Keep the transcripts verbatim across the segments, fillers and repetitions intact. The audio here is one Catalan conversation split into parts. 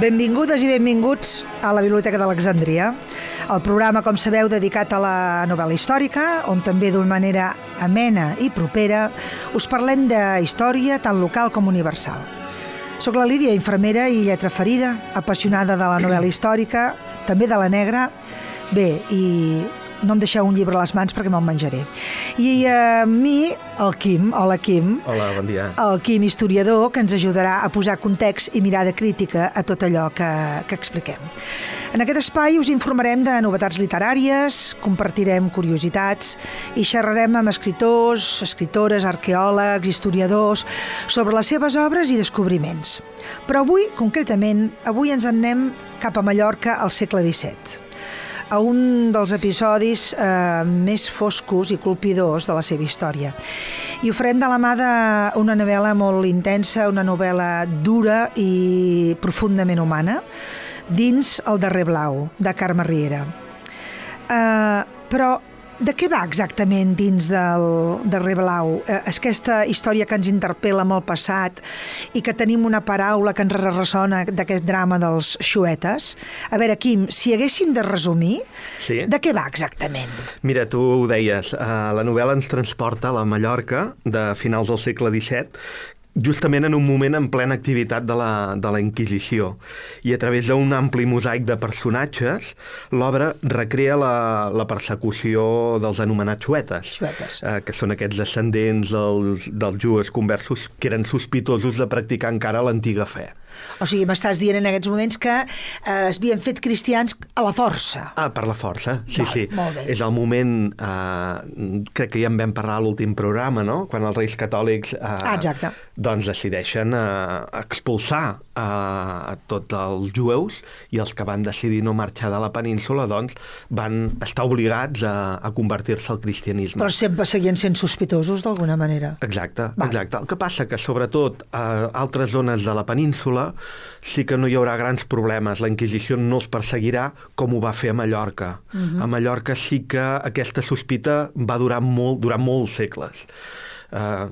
Benvingudes i benvinguts a la Biblioteca d'Alexandria, el programa, com sabeu, dedicat a la novel·la històrica, on també d'una manera amena i propera us parlem de història tant local com universal. Soc la Lídia, infermera i lletra ferida, apassionada de la novel·la històrica, també de la negra. Bé, i no em deixeu un llibre a les mans perquè me'l menjaré. I a mi, el Quim, hola Quim. Hola, bon dia. El Quim, historiador, que ens ajudarà a posar context i mirada crítica a tot allò que, que expliquem. En aquest espai us informarem de novetats literàries, compartirem curiositats i xerrarem amb escriptors, escritores, arqueòlegs, historiadors, sobre les seves obres i descobriments. Però avui, concretament, avui ens en anem cap a Mallorca al segle disset, a un dels episodis eh, més foscos i colpidors de la seva història. I ho farem de la mà d'una novel·la molt intensa, una novel·la dura i profundament humana, dins El darrer blau, de Carme Riera. Eh, però de què va exactament dins del darrer blau? Eh, és aquesta història que ens interpel·la amb el passat i que tenim una paraula que ens ressona d'aquest drama dels xuetes. A veure, Quim, si haguéssim de resumir, sí? De què va exactament? Mira, tu ho deies, uh, la novel·la ens transporta a la Mallorca de finals del segle disset, justament en un moment en plena activitat de la, de la Inquisició. I a través d'un ampli mosaic de personatges, l'obra recrea la, la persecució dels anomenats xuetes, xuetes. Eh, que són aquests descendents dels, dels jueus conversos que eren sospitosos de practicar encara l'antiga fe. O sigui, m'estàs dient en aquests moments que eh, es havien fet cristians a la força. Ah, per la força, sí, Val, sí. Molt bé. És el moment, eh, crec que ja en vam parlar a l'últim programa, no? Quan els reis catòlics eh, ah, exacte. doncs decideixen eh, expulsar eh, a tots els jueus, i els que van decidir no marxar de la península doncs van estar obligats a, a convertir-se al cristianisme. Però sempre seguien sent sospitosos d'alguna manera. Exacte, Val. exacte. El que passa que sobretot a altres zones de la península sí que no hi haurà grans problemes. La Inquisició no els perseguirà com ho va fer a Mallorca. Uh-huh. A Mallorca sí que aquesta sospita va durar molt, durant molts segles. Uh,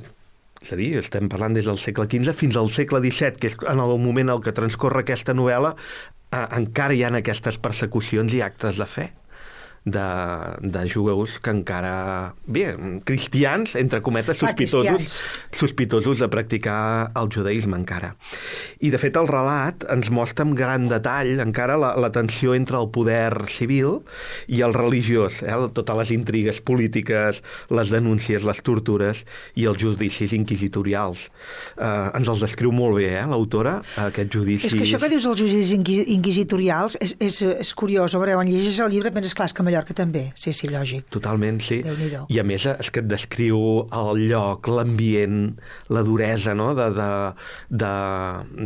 és a dir, estem parlant des del segle quinze fins al segle disset, que és en el moment en què transcorre aquesta novel·la, uh, encara hi ha aquestes persecucions i actes de fe de, de jueus que encara, bé, cristians, entre cometes, sospitosos, sospitosos de practicar el judaïsme encara. I, de fet, el relat ens mostra amb gran detall encara la, la tensió entre el poder civil i el religiós, eh? Totes les intrigues polítiques, les denúncies, les tortures i els judicis inquisitorials. Eh, ens els descriu molt bé, eh, l'autora, aquests judicis. És que això que dius els judicis inquisitorials és, és, és curiós. A veure, quan llegeixes el llibre penses, clar, és que Mallorca també. Sí, sí, lògic. Totalment, sí. Déu-n'hi-do. I a més és que et descriu el lloc, l'ambient, la duresa, no?, de, de, de,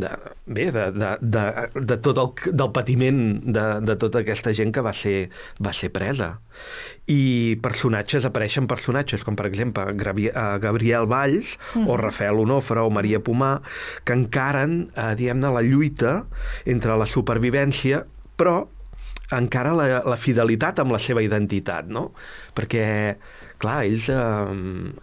de, bé, de, de, de, de tot el del patiment de, de tota aquesta gent que va ser, va ser presa. I personatges, apareixen personatges com, per exemple, Gabriel Valls, mm-hmm. o Rafael Onofre o Maria Pomar, que encaren, eh, diguem-ne, la lluita entre la supervivència, però encara la, la fidelitat amb la seva identitat, no? Perquè, clar, ells eh,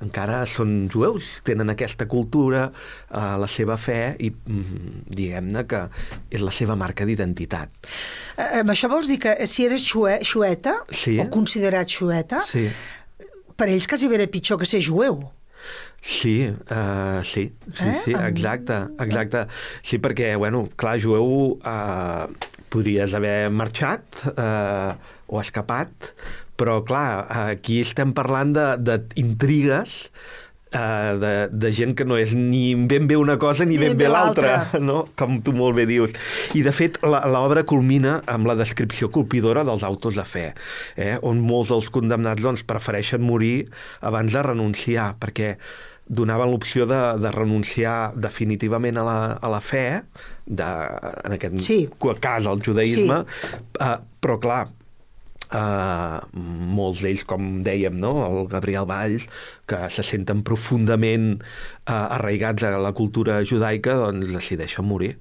encara són jueus, tenen aquesta cultura, eh, la seva fe, i mm, diguem-ne que és la seva marca d'identitat. Eh, això vols dir que si eres xue, xueta, sí. o considerat xueta, sí. per ells quasi era pitjor que ser jueu. Sí, uh, sí, sí, eh? sí, exacte, exacte. Sí, perquè, bueno, clar, jueu, uh, podries haver marxat uh, o escapat, però, clar, aquí estem parlant d'intrigues, uh, de, de gent que no és ni ben bé una cosa ni, ni ben bé l'altra, no? Com tu molt bé dius. I, de fet, l'obra culmina amb la descripció colpidora dels autos de fe, eh? On molts dels condemnats doncs, prefereixen morir abans de renunciar, perquè donaven l'opció de, de renunciar definitivament a la, a la fe, de, en aquest sí. cas al judaïsme, sí. uh, però clar, uh, molts d'ells, com dèiem, no? El Gabriel Valls, que se senten profundament uh, arraigats a la cultura judaica, doncs decideixen morir.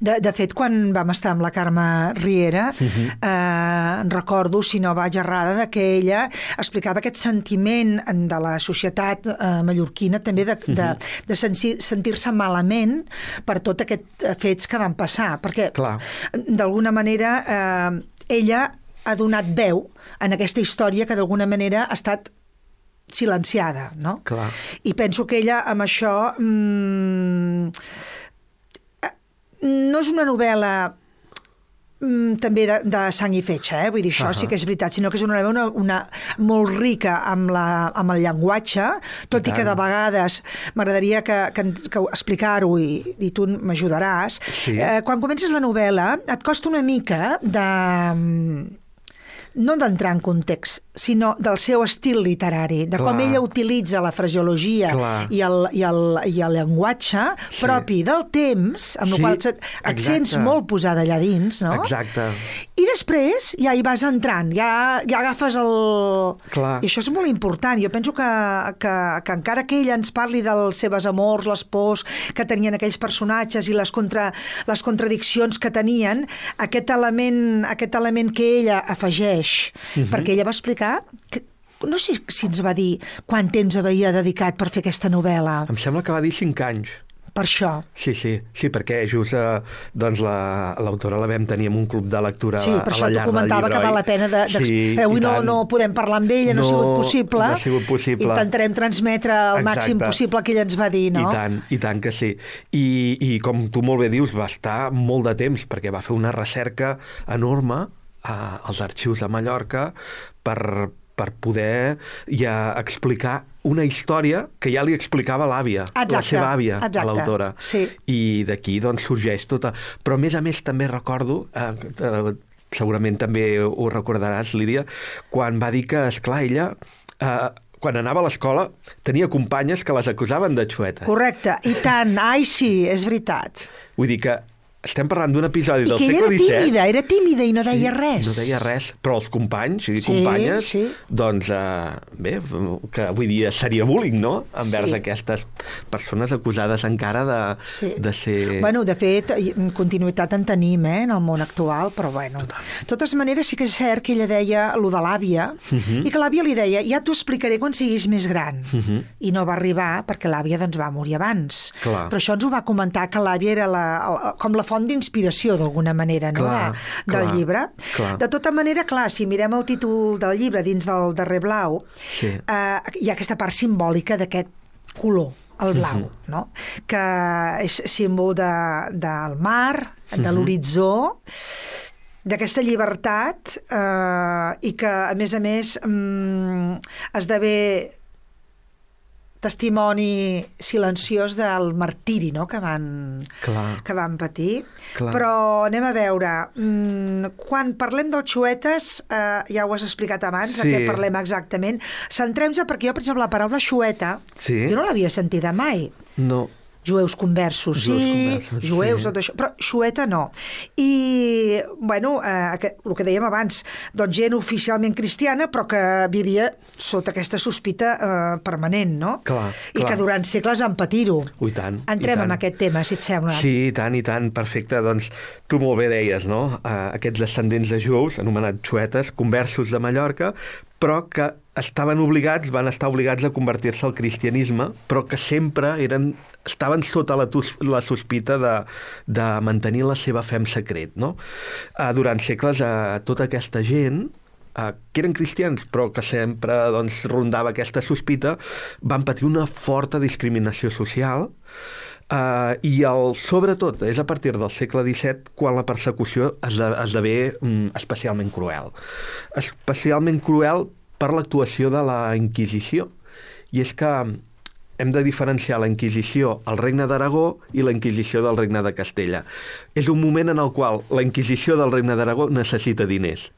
De, de fet, quan vam estar amb la Carme Riera, uh-huh. eh, recordo, si no vaig errada, de que ella explicava aquest sentiment de la societat eh, mallorquina també de, uh-huh. de, de sentir, sentir-se malament per tot aquests fets que van passar, perquè Clar. d'alguna manera eh, ella ha donat veu en aquesta història que d'alguna manera ha estat silenciada, no? Clar. I penso que ella amb això mmm, no és una novel·la mm, també de, de sang i fetge, eh? Vull dir, això uh-huh. sí que és veritat, sinó que és una novel·la una, una, molt rica amb, la, amb el llenguatge, tot i, i que de vegades m'agradaria que, que, que explicar-ho i, i tu m'ajudaràs. Sí. Eh, quan comences la novel·la et costa una mica de... no d'entrar en context, sinó del seu estil literari, de Clar. com ella utilitza la fraseologia i el, i, el, i el llenguatge sí. propi del temps, amb sí, el qual et, et sents molt posada allà dins, no? Exacte. I després ja hi vas entrant, ja, ja agafes el... Clar. I això és molt important. Jo penso que, que, que encara que ella ens parli dels seves amors, les pors que tenien aquells personatges i les, contra, les contradiccions que tenien, aquest element, aquest element que ella afegeix Uh-huh. perquè ella va explicar que, no sé si ens va dir quant temps havia dedicat per fer aquesta novel·la. Em sembla que va dir cinc anys. Per això. Sí, sí, sí, perquè just eh, doncs la, l'autora la vam tenir en un club de lectura sí, a, per a això la llar t'ho comentava del llibre. Que val la pena de, de, sí, eh, avui no, no podem parlar amb ella, no, no ha sigut possible. No ha sigut possible. Intentarem transmetre el Exacte. màxim possible que ella ens va dir, no? I tant, i tant que sí. I, I com tu molt bé dius, va estar molt de temps, perquè va fer una recerca enorme als arxius de Mallorca per, per poder ja explicar una història que ja li explicava l'àvia, exacte, la seva àvia, exacte, a l'autora. Sí. I d'aquí doncs, sorgeix tota... Però a més a més també recordo, eh, eh, segurament també ho recordaràs, Lídia, quan va dir que, esclar, ella... Eh, quan anava a l'escola, tenia companyes que les acusaven de xueta. Correcte, i tant, ai sí, és veritat. Vull dir que estem parlant d'un episodi I del segle disset... I que era tímida, era tímida i no deia sí, res. no deia res, però els companys i sí, companyes, sí. doncs, eh, bé, que vull dir, seria bullying, no?, envers sí. aquestes persones acusades encara de, sí. de ser... Bueno, de fet, continuïtat en tenim, eh, en el món actual, però bueno. Total. De totes maneres, sí que és cert que ella deia allò de l'àvia, uh -huh. i que l'àvia li deia, ja t'ho explicaré quan siguis més gran. Uh -huh. I no va arribar, perquè l'àvia doncs, va morir abans. Clar. Però això ens ho va comentar, que l'àvia era la, la, com la font d'inspiració, d'alguna manera, no? Clar, de, del clar, llibre. Clar. De tota manera, clar, si mirem el títol del llibre dins del darrer blau, sí. eh, hi ha aquesta part simbòlica d'aquest color, el blau, uh-huh. no? Que és símbol de, del mar, de uh-huh. l'horitzó, d'aquesta llibertat eh, i que, a més a més, mm, esdevé testimoni silenciós del martiri, no?, que van, Clar. que van patir. Clar. Però anem a veure, mmm, quan parlem dels xuetes, eh, ja ho has explicat abans, sí. de què parlem exactament, centrem-se, perquè jo, per exemple, la paraula xueta, sí. jo no l'havia sentida mai. No. Jueus conversos, sí, jueus, conversos, jueus sí. tot això, però xueta no. I, bueno, eh, que, el que dèiem abans, doncs gent oficialment cristiana, però que vivia sota aquesta sospita eh, permanent, no? Clar, I clar. que durant segles van patir-ho. Ui, tant. Entrem tant. en aquest tema, si et sembla. Sí, i tant, i tant, perfecte. Doncs tu molt bé deies, no? Uh, aquests descendents de jueus, anomenats xuetes, conversos de Mallorca, però que estaven obligats, van estar obligats a convertir-se al cristianisme, però que sempre eren, estaven sota la, la sospita de, de mantenir la seva fe en secret, no? Uh, durant segles, uh, tota aquesta gent, uh, que eren cristians, però que sempre doncs, rondava aquesta sospita, van patir una forta discriminació social, Uh, i el, sobretot és a partir del segle disset quan la persecució esdevé um, especialment cruel. Especialment cruel per l'actuació de la Inquisició. I és que hem de diferenciar la Inquisició al Regne d'Aragó i la Inquisició del Regne de Castella. És un moment en el qual la Inquisició del Regne d'Aragó necessita diners.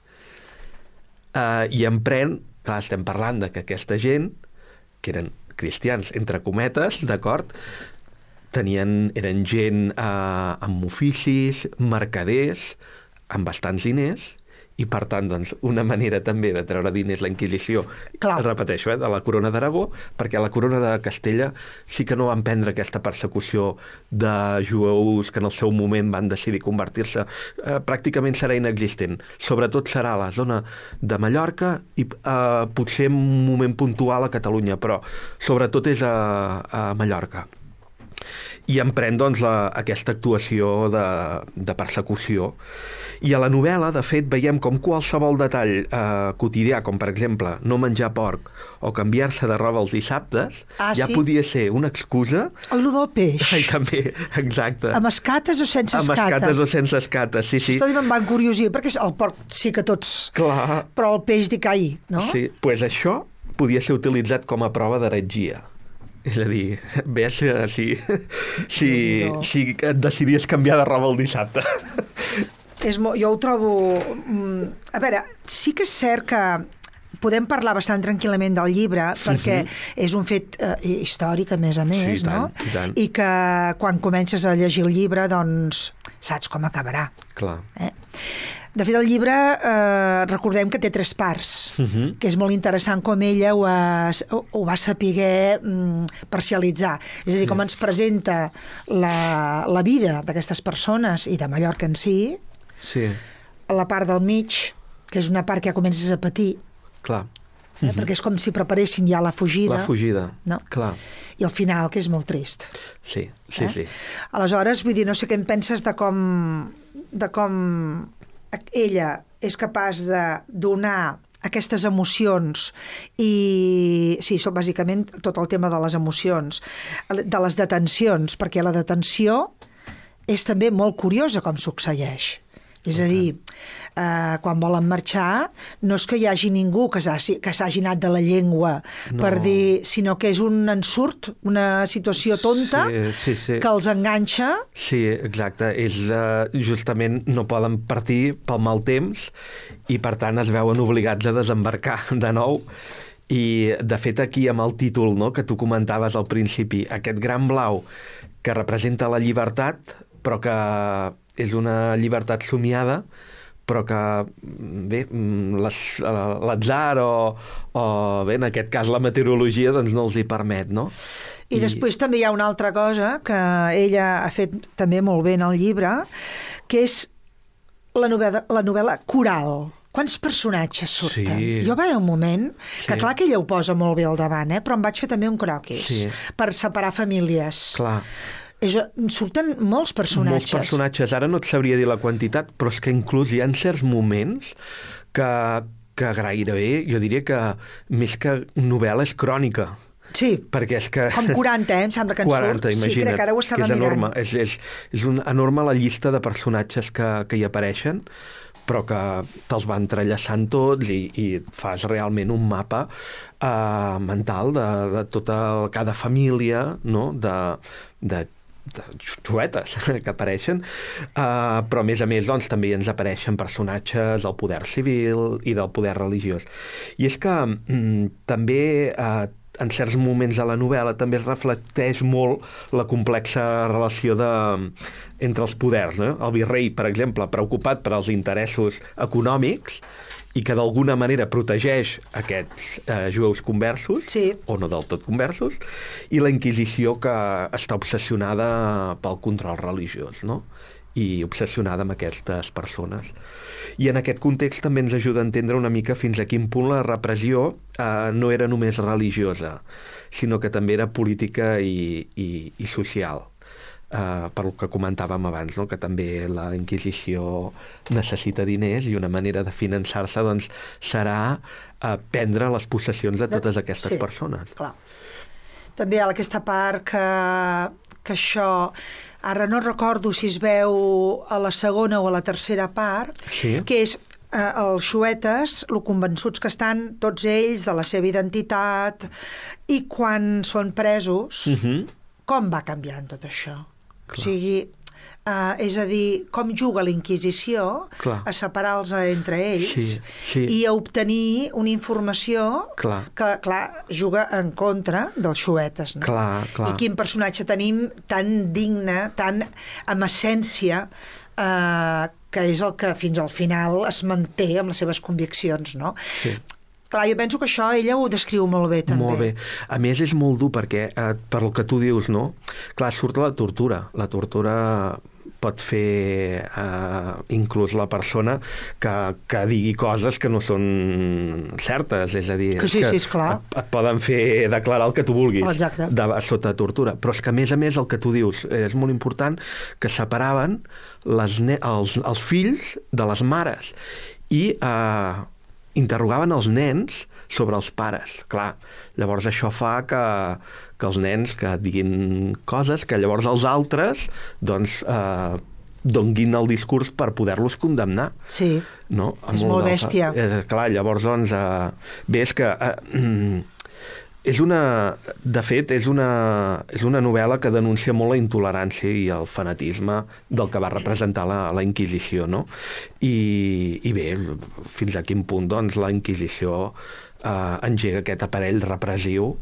Uh, I emprèn, clar, estem parlant de que aquesta gent, que eren cristians, entre cometes, d'acord, tenien, eren gent eh, amb oficis, mercaders, amb bastants diners, i per tant, doncs, una manera també de treure diners la Inquisició, Clar. repeteixo, eh, de la corona d'Aragó, perquè la corona de Castella sí que no van prendre aquesta persecució de jueus que en el seu moment van decidir convertir-se, eh, pràcticament serà inexistent. Sobretot serà a la zona de Mallorca i eh, potser en un moment puntual a Catalunya, però sobretot és a, a Mallorca. I emprèn, doncs, la, aquesta actuació de, de persecució. I a la novel·la, de fet, veiem com qualsevol detall eh, quotidià, com per exemple no menjar porc o canviar-se de roba els dissabtes, ah, ja sí? podia ser una excusa... El del peix. Ai, també, exacte. Amb escates o sense escates? Amb escates o sense escates, sí, sí. Això també em va encuriosir, perquè el porc sí que tots... Clar. Però el peix dic, ai, no? Sí, doncs pues això podia ser utilitzat com a prova d'heretgia. És a dir, ves si, si, no. si et decidies canviar de roba el dissabte. És molt, jo ho trobo... A veure, sí que és cert que podem parlar bastant tranquil·lament del llibre, perquè uh-huh. és un fet eh, històric, a més a més, sí, i tant, no? I tant. I que quan comences a llegir el llibre, doncs saps com acabarà. Clar. Eh? De fet, el llibre, eh, recordem que té tres parts, uh-huh. que és molt interessant com ella ho, ha, ho va saber mm, parcialitzar. És a dir, com ens presenta la, la vida d'aquestes persones i de Mallorca en si, sí. la part del mig, que és una part que ja comences a patir, clar. Eh? Uh-huh. Perquè és com si preparessin ja la fugida. La fugida, no? clar. I al final, que és molt trist. Sí, sí, eh? sí. Aleshores, vull dir, no sé què en penses de com... de com ella és capaç de donar aquestes emocions i, sí, són bàsicament tot el tema de les emocions, de les detencions, perquè la detenció és també molt curiosa com succeeix. És a dir, eh, quan volen marxar, no és que hi hagi ningú que s'hagi, que s'hagi anat de la llengua no. per dir, sinó que és un ensurt, una situació tonta sí, sí, sí. que els enganxa. Sí, exacte. És, uh, justament no poden partir pel mal temps i, per tant, es veuen obligats a desembarcar de nou. I, de fet, aquí amb el títol, no?, que tu comentaves al principi, aquest gran blau que representa la llibertat, però que és una llibertat somiada, però que, bé, l'atzar o, o, bé, en aquest cas la meteorologia, doncs no els hi permet, no? I, I després també hi ha una altra cosa que ella ha fet també molt bé en el llibre, que és la novel·la, la novel·la coral. Quants personatges surten? Sí. Jo vaig un moment, que sí. clar que ella ho posa molt bé al davant, eh? Però em vaig fer també un croquis sí. per separar famílies. Clar. És, surten molts personatges. Molts personatges. Ara no et sabria dir la quantitat, però és que inclús hi ha certs moments que, que gairebé, jo diria que més que novel·la és crònica. Sí, perquè és que... com quaranta, eh? Em sembla que en quaranta, surt. Imagina't, sí, crec que ara ho estava és mirant. enorme. És, és, és un, enorme la llista de personatges que, que hi apareixen, però que te'ls va entrellaçant tots i, i fas realment un mapa eh, mental de, de tota cada família, no?, de, de de xuetes que apareixen, uh, però a més a més doncs, també ens apareixen personatges del poder civil i del poder religiós. I és que mm, també uh, en certs moments de la novel·la també es reflecteix molt la complexa relació de, entre els poders, no? El virrei, per exemple, preocupat per als interessos econòmics i que d'alguna manera protegeix aquests eh, jueus conversos, sí. o no del tot conversos, i la Inquisició que està obsessionada pel control religiós, no?, i obsessionada amb aquestes persones. I en aquest context també ens ajuda a entendre una mica fins a quin punt la repressió eh, no era només religiosa, sinó que també era política i, i, i social. Uh, per el que comentàvem abans, no?, que també la Inquisició necessita diners i una manera de finançar-se doncs, serà uh, prendre les possessions de totes aquestes sí, persones. Clar. També hi ha aquesta part que, que això... Ara no recordo si es veu a la segona o a la tercera part, sí. que és eh, els xuetes, lo convençuts que estan tots ells de la seva identitat, i quan són presos, uh-huh. com va canviant tot això? Clar. O sigui, uh, és a dir, com juga la Inquisició clar. a separar-los entre ells sí, sí. i a obtenir una informació clar. que, clar, juga en contra dels xuetes, no? Clar, clar. I quin personatge tenim tan digne, tan amb essència eh, que és el que fins al final es manté amb les seves conviccions, no? Sí. Clar, jo penso que això ella ho descriu molt bé, també. Molt bé. A més, és molt dur perquè, eh, per el que tu dius, no? Clar, surt la tortura. La tortura pot fer eh, inclús la persona que, que digui coses que no són certes, és a dir, que sí, que sí, esclar. Et, et poden fer declarar el que tu vulguis. Exacte. De, sota tortura. Però és que, a més a més, el que tu dius és molt important, que separaven les ne els, els fills de les mares i eh, interrogaven els nens sobre els pares. Clar, llavors això fa que, que els nens que diguin coses que llavors els altres doncs eh, donguin el discurs per poder-los condemnar. Sí, no? és molt bèstia. Eh, clar, llavors doncs eh, bé, és que eh, és una, de fet, és una, és una novel·la que denuncia molt la intolerància i el fanatisme del que va representar la, la Inquisició, no? I, i bé, fins a quin punt doncs, la Inquisició eh, engega aquest aparell repressiu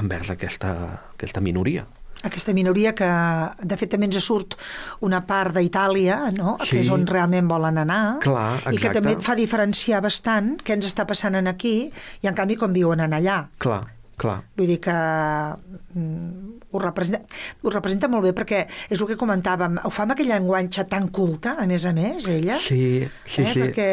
envers aquesta, aquesta minoria. Aquesta minoria que, de fet, també ens surt una part d'Itàlia, no? Sí. Que és on realment volen anar. Clar, exacte. I que també et fa diferenciar bastant què ens està passant en aquí i, en canvi, com viuen en allà. Clar. Clar. Vull dir que mm, ho, representa, ho representa molt bé perquè és el que comentàvem, ho fa amb aquell llenguatge tan culte, a més a més, ella. Sí, sí, eh? sí. Perquè...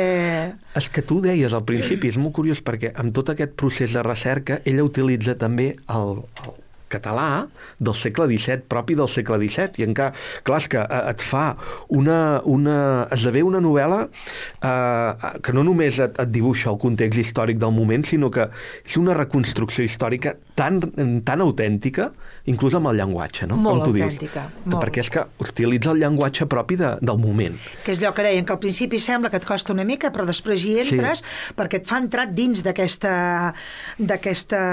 És que tu deies al principi, és molt curiós perquè amb tot aquest procés de recerca ella utilitza també el, el català del segle disset, propi del segle disset, i encara, clar, és que et fa una, una esdevé una novel·la eh, que no només et, et dibuixa el context històric del moment, sinó que és una reconstrucció històrica tan, tan autèntica, inclús amb el llenguatge, no? Molt Com tu autèntica. Dius. Molt. Perquè és que utilitza el llenguatge propi de, del moment. Que és allò que deien, que al principi sembla que et costa una mica, però després hi entres, sí. perquè et fa entrar dins d'aquesta d'aquesta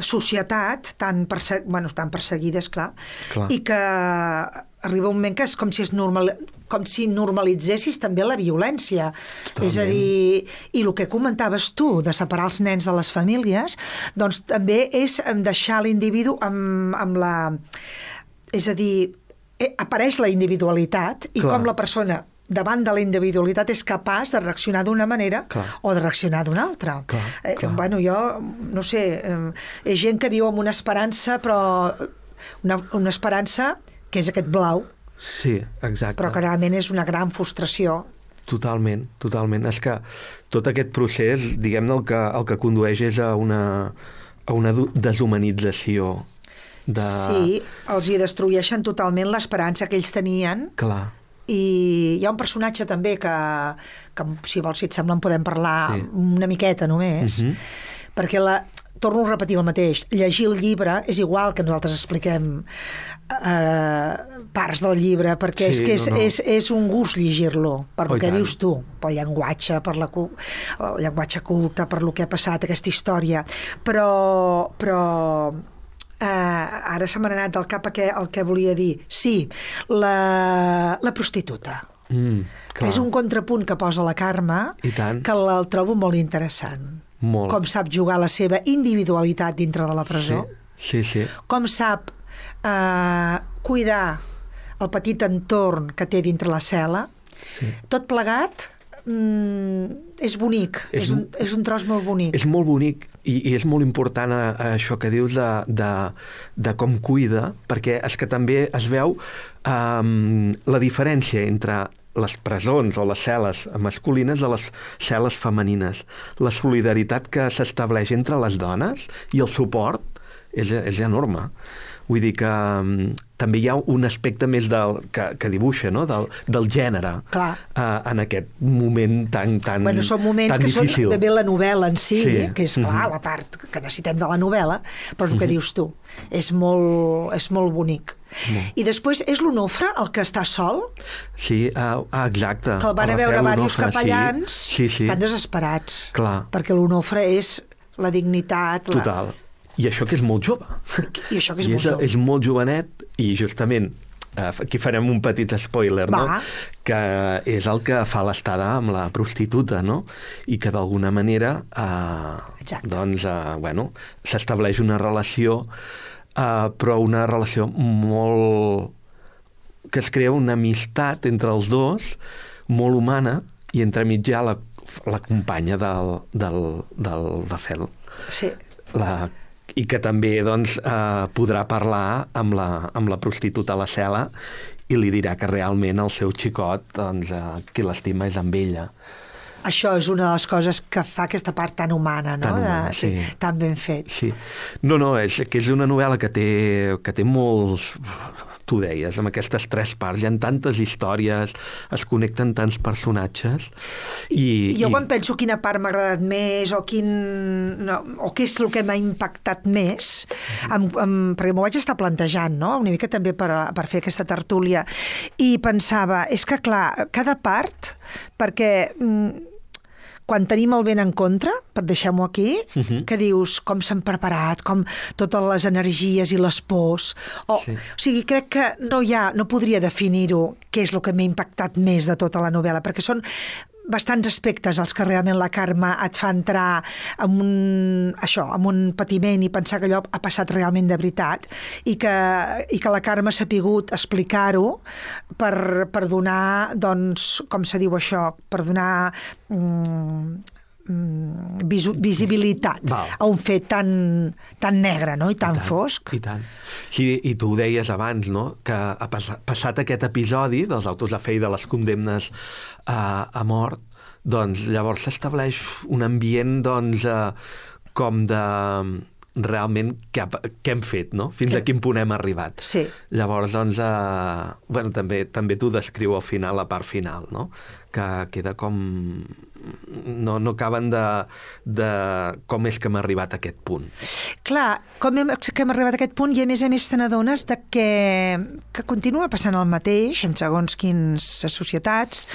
societat tan, perse bueno, tan perseguida, esclar, Clar. i que arriba un moment que és com si es normal com si normalitzessis també la violència. Totalment. És a dir, i el que comentaves tu, de separar els nens de les famílies, doncs també és deixar l'individu amb, amb la... És a dir, apareix la individualitat i Clar. Com la persona davant de la individualitat és capaç de reaccionar d'una manera clar. O de reaccionar d'una altra. Clar, eh, clar. Bueno, jo, no sé, eh, és gent que viu amb una esperança, però una, una esperança que és aquest blau, sí, exacte. però que realment és una gran frustració. Totalment, totalment. És que tot aquest procés, diguem-ne, el que, el que condueix és a una, a una deshumanització de... Sí, els hi destrueixen totalment l'esperança que ells tenien. Clar. I hi ha un personatge també que, que si vols, si et sembla, en podem parlar sí. una miqueta només, uh-huh. perquè la... torno a repetir el mateix, llegir el llibre és igual que nosaltres expliquem eh, parts del llibre, perquè sí, és que és, no, no. És, és un gust llegir-lo, per oh, el que tant. Dius tu, pel llenguatge, per la, el llenguatge culte, per lo que ha passat, aquesta història. Però, però eh, ara se m'ha anat del cap el que, el que volia dir. Sí, la, la prostituta. Mm, és un contrapunt que posa la Carme I tant. Que el trobo molt interessant. Molt. Com sap jugar la seva individualitat dintre de la presó, sí, sí, sí. Com sap eh, cuidar el petit entorn que té dintre la cel·la, sí. Tot plegat mm, és bonic, és, és, un, és un tros molt bonic. És molt bonic i, i és molt important a, a això que dius de, de, de com cuida, perquè és que també es veu um, la diferència entre les presons o les cel·les masculines de les cel·les femenines. La solidaritat que s'estableix entre les dones i el suport és, és enorme. Vull dir que um, també hi ha un aspecte més del, que, que dibuixa, no? del, del gènere uh, en aquest moment tan, tan, bueno, són moments tan que difícil. Són bé la novel·la en si, sí. que és clar, uh-huh. la part que necessitem de la novel·la, però és el que uh-huh. dius tu. És molt, és molt bonic. Molt. I després és l'Onofre el que està sol? Sí, uh, exacte. Que el van a veure diversos capellans, sí. Sí, sí. estan desesperats. Clar. Perquè l'Onofre és la dignitat... Total. La... I això que és molt jove. I això que és I molt és, jove. És molt jovenet i justament aquí farem un petit spoiler, Va. no? Que és el que fa l'estada amb la prostituta, no? I que d'alguna manera eh, doncs, eh, bueno, s'estableix una relació, eh, però una relació molt que es crea una amistat entre els dos, molt humana, i entremig hi ha la, la companya del, del, del Dafel. Sí. La... I que també doncs, eh, podrà parlar amb la, amb la prostituta a la cel·la i li dirà que realment el seu xicot, doncs, eh, qui l'estima és amb ella. Això és una de les coses que fa aquesta part tan humana, no? Tan humana, de, sí. sí. Tan ben fet. Sí. No, no, és que és una novel·la que té, que té molts... Tu deies, amb aquestes tres parts, hi ha tantes històries, es connecten tants personatges. I, jo i... quan penso quina part m'ha agradat més o, quin, no, o què és el que m'ha impactat més, mm-hmm. amb, amb, perquè m'ho vaig estar plantejant, no? Una mica també per, per fer aquesta tertúlia, i pensava, és que clar, cada part, perquè... Mm, quan tenim el vent en contra, per deixar-m'ho aquí, uh-huh. que dius com s'han preparat, com totes les energies i les pors. O, sí. o sigui, crec que no hi ha, no podria definir-ho què és el que m'ha impactat més de tota la novel·la, perquè són bastants aspectes els que realment la Carme et fa entrar en un, això, en un patiment i pensar que allò ha passat realment de veritat i que, i que la Carme s'ha pogut explicar-ho per, per donar, doncs, com se diu això, per donar mm, visu, visibilitat Val. A un fet tan, tan negre, no? I tan I tant, fosc. I tant. Sí, i tu ho deies abans, no? Que ha passat aquest episodi dels autos de fe i de les condemnes a, a mort, doncs llavors s'estableix un ambient doncs, eh, com de realment què, què hem fet, no? Fins que... a quin punt hem arribat. Sí. Llavors, doncs, eh, bueno, també, també t'ho descriu al final, la part final, no? Que queda com... No, no acaben de, de com és que hem arribat a aquest punt. Clar, com hem, que hem arribat a aquest punt i a més a més te n'adones de que, que continua passant el mateix en segons quines societats,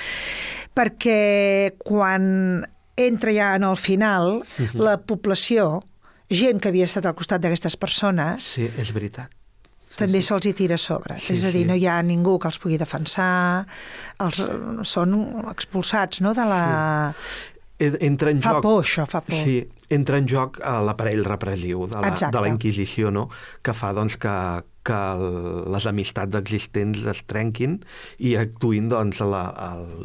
perquè quan entra ja en el final uh-huh. la població, gent que havia estat al costat d'aquestes persones... Sí, és veritat. També sí. Se'ls hi tira a sobre. Sí, és a dir, sí. no hi ha ningú que els pugui defensar, els, són expulsats, no?, de la... Sí. Entra en fa joc... por, això, fa por. Sí, entra en joc l'aparell repressiu de la, de la Inquisició, no?, que fa, doncs, que, que les amistats existents es trenquin i actuïn, doncs,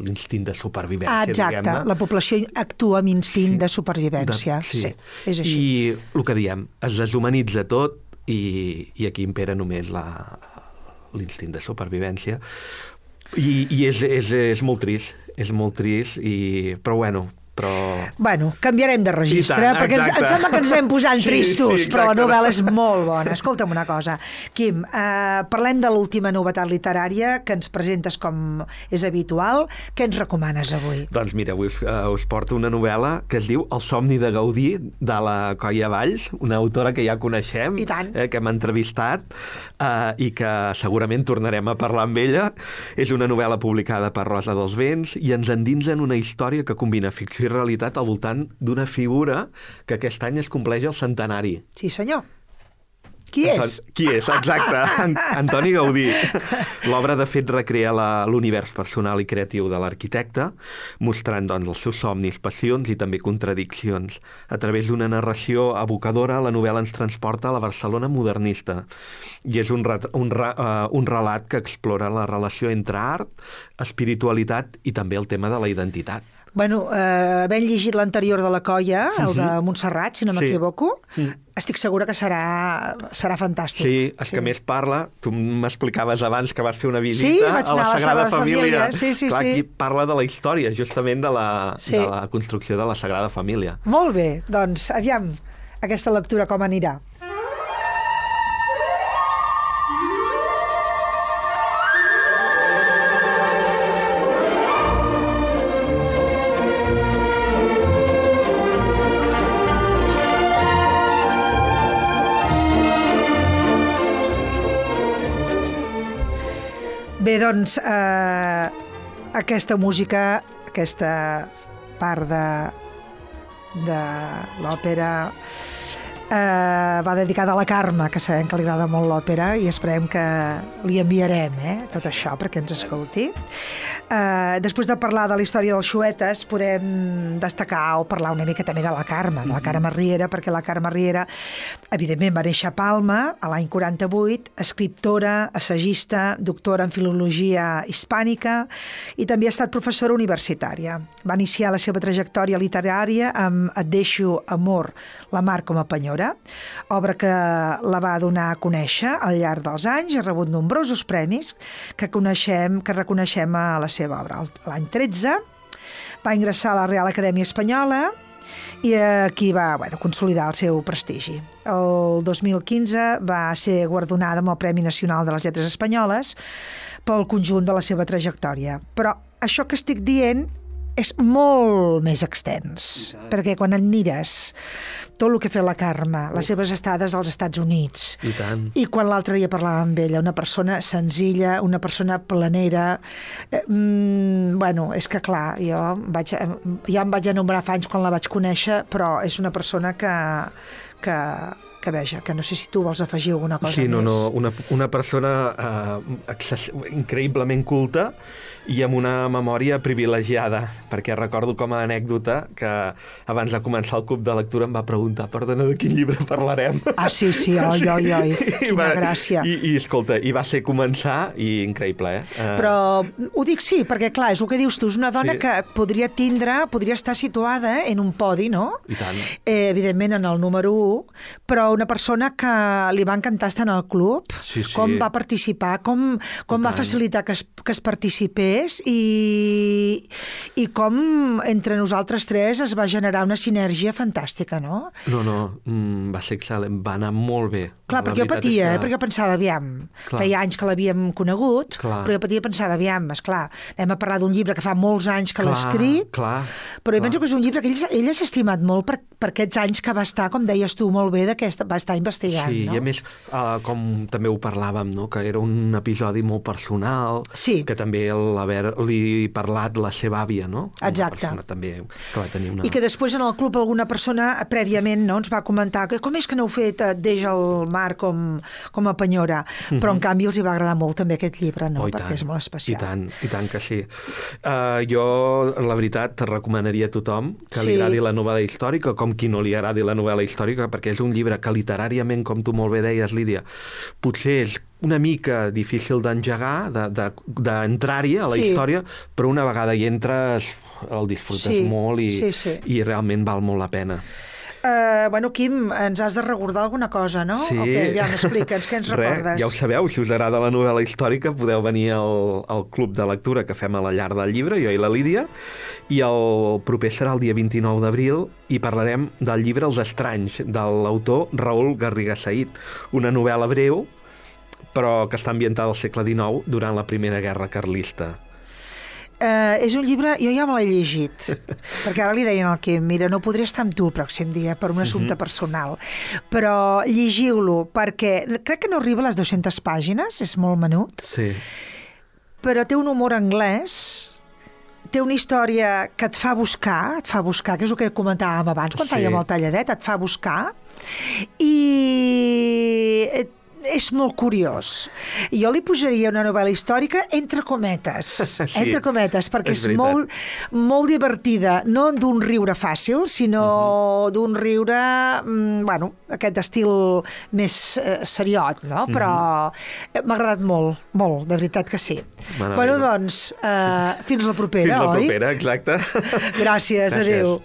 l'instint de supervivència, ah, exacte. Diguem-ne. La població actua amb instint sí. de supervivència. De, sí. sí, és així. I el que diem, es deshumanitza tot, I, i aquí impera només l'instint de supervivència i, i és, és, és molt trist és molt trist, i, però bueno però... Bueno, canviarem de registre, tant, perquè ens, em sembla que ens anem posant sí, tristos, sí, però la novel·la és molt bona. Escolta'm una cosa, Quim, eh, parlem de l'última novetat literària que ens presentes com és habitual. Què ens recomanes avui? Doncs mira, avui us, uh, us porto una novel·la que es diu El somni de Gaudí, de la Coia Valls, una autora que ja coneixem, eh, que hem entrevistat eh, i que segurament tornarem a parlar amb ella. És una novel·la publicada per Rosa dels Vents i ens endinsa en una història que combina ficció i realitat al voltant d'una figura que aquest any es compleix el centenari. Sí, senyor. Qui Anton... és? Qui és, exacte. Antoni Gaudí. L'obra, de fet, recrea l'univers personal i creatiu de l'arquitecte, mostrant, doncs, els seus somnis, passions i també contradiccions. A través d'una narració evocadora, la novel·la ens transporta a la Barcelona modernista. I és un, ret... un, ra... uh, un relat que explora la relació entre art, espiritualitat i també el tema de la identitat. Bueno, eh, havent llegit l'anterior de la Coia, el de Montserrat, si no m'equivoco, sí. estic segura que serà, serà fantàstic. Sí, és sí. que més parla, tu m'explicaves abans que vas fer una visita sí, a la Sagrada, a la Sagrada Família. Família. Sí, sí, Clar, sí. aquí parla de la història, justament de la, sí. de la construcció de la Sagrada Família. Molt bé, doncs, aviam, aquesta lectura com anirà. Bé, doncs, eh, aquesta música, aquesta part de, de l'òpera eh, va dedicada a la Carme, que sabem que li agrada molt l'òpera, i esperem que li enviarem eh, tot això perquè ens escolti. Eh, després de parlar de la història dels xuetes, podem destacar o parlar una mica també de la Carme, de la Carme Riera, perquè la Carme Riera, evidentment, va néixer a Palma a l'any quaranta-vuit, escriptora, assagista, doctora en filologia hispànica i també ha estat professora universitària. Va iniciar la seva trajectòria literària amb Et deixo, amor, la mar com a penyora, obra que la va donar a conèixer al llarg dels anys i ha rebut nombrosos premis que coneixem, que reconeixem a la seva obra. L'any tretze va ingressar a la Real Acadèmia Espanyola i aquí va bueno, consolidar el seu prestigi. El dos mil quinze va ser guardonada amb el Premi Nacional de les Lletres Espanyoles pel conjunt de la seva trajectòria. Però això que estic dient és molt més extens, perquè quan et mires tot el que ha fet la Carme, les seves estades als Estats Units, I tant. i quan l'altre dia parlàvem amb ella, una persona senzilla, una persona planera, eh, mm, bueno, és que clar, jo vaig, ja em vaig enumerar fa anys quan la vaig conèixer, però és una persona que, que, que veja, que no sé si tu vols afegir alguna cosa sí, no, més. no, una, una persona eh, access, increïblement culta i amb una memòria privilegiada, perquè recordo com a anècdota que abans de començar el club de lectura em va preguntar, perdona, de quin llibre parlarem? Ah, sí, sí, oi, oi, oi, quina va, gràcia. I, I, escolta, i va ser començar, i increïble, eh? Uh... Però ho dic sí, perquè clar, és el que dius tu, és una dona sí. que podria tindre, podria estar situada en un podi, no? I tant. Eh, evidentment en el número u, però una persona que li va encantar estar en el club, sí, sí. com va participar, com, com va facilitar que es, que es participés i, i com entre nosaltres tres es va generar una sinergia fantàstica, no? No, no, mm, va ser excel·lent, va anar molt bé. Clar, perquè jo patia, que... eh? perquè jo pensava, aviam, clar. feia anys que l'havíem conegut, clar. però jo patia i pensava, aviam, esclar, anem a parlar d'un llibre que fa molts anys que l'ha escrit, clar, però jo clar. penso que és un llibre que ell, ell s'ha estimat molt per, per aquests anys que va estar, com deies tu molt bé, que va estar investigant. Sí, no? i a més, uh, com també ho parlàvem, no? que era un episodi molt personal, sí. que també l'haver-li parlat la seva àvia, no? Exacte. Una persona també que va tenir una... I que després en el club alguna persona prèviament no, ens va comentar que com és que n'heu fet Deixa el mar com, com a penyora, mm-hmm. però en canvi els hi va agradar molt també aquest llibre, no? Oh, perquè tant, és molt especial. I tant, i tant que sí. Uh, jo, la veritat, recomanaria a tothom que sí. li agradi la novel·la històrica, com qui no li agradi la novel·la històrica, perquè és un llibre que literàriament, com tu molt bé deies, Lídia, potser és una mica difícil d'engegar, d'entrar-hi a la sí. història, però una vegada hi entres el disfrutes sí. molt i, sí, sí. i realment val molt la pena. Uh, bueno, Quim, ens has de recordar alguna cosa, no? Sí. Ok, ja m'expliques, què ens recordes? Res, ja ho sabeu, si us agrada la novel·la històrica podeu venir al, al club de lectura que fem a la llar del llibre, jo i la Lídia, i el proper serà el dia vint-i-nou d'abril i parlarem del llibre Els estranys, de l'autor Raül Garriga Said, una novel·la breu però que està ambientada al segle dinou durant la Primera Guerra Carlista. Uh, és un llibre, jo ja me l'he llegit, perquè ara li deien al Quim, mira, no podré estar amb tu el pròxim dia per un assumpte uh-huh. personal, però llegiu-lo, perquè crec que no arriba a les dues-centes pàgines, és molt menut, sí. però té un humor anglès, té una història que et fa buscar, et fa buscar, que és el que comentàvem abans, quan sí. fèiem el talladet, et fa buscar, i és molt curiós. Jo li posaria una novel·la històrica entre cometes, sí, entre cometes, perquè és, és molt, molt divertida, no d'un riure fàcil, sinó uh-huh. d'un riure, bueno, aquest estil més eh, seriot, no? Uh-huh. Però m'ha agradat molt, molt, de veritat que sí. Bueno, bueno doncs, eh, fins la propera, fins oi? Fins la propera, exacte. Gràcies, Gràcies. Adéu.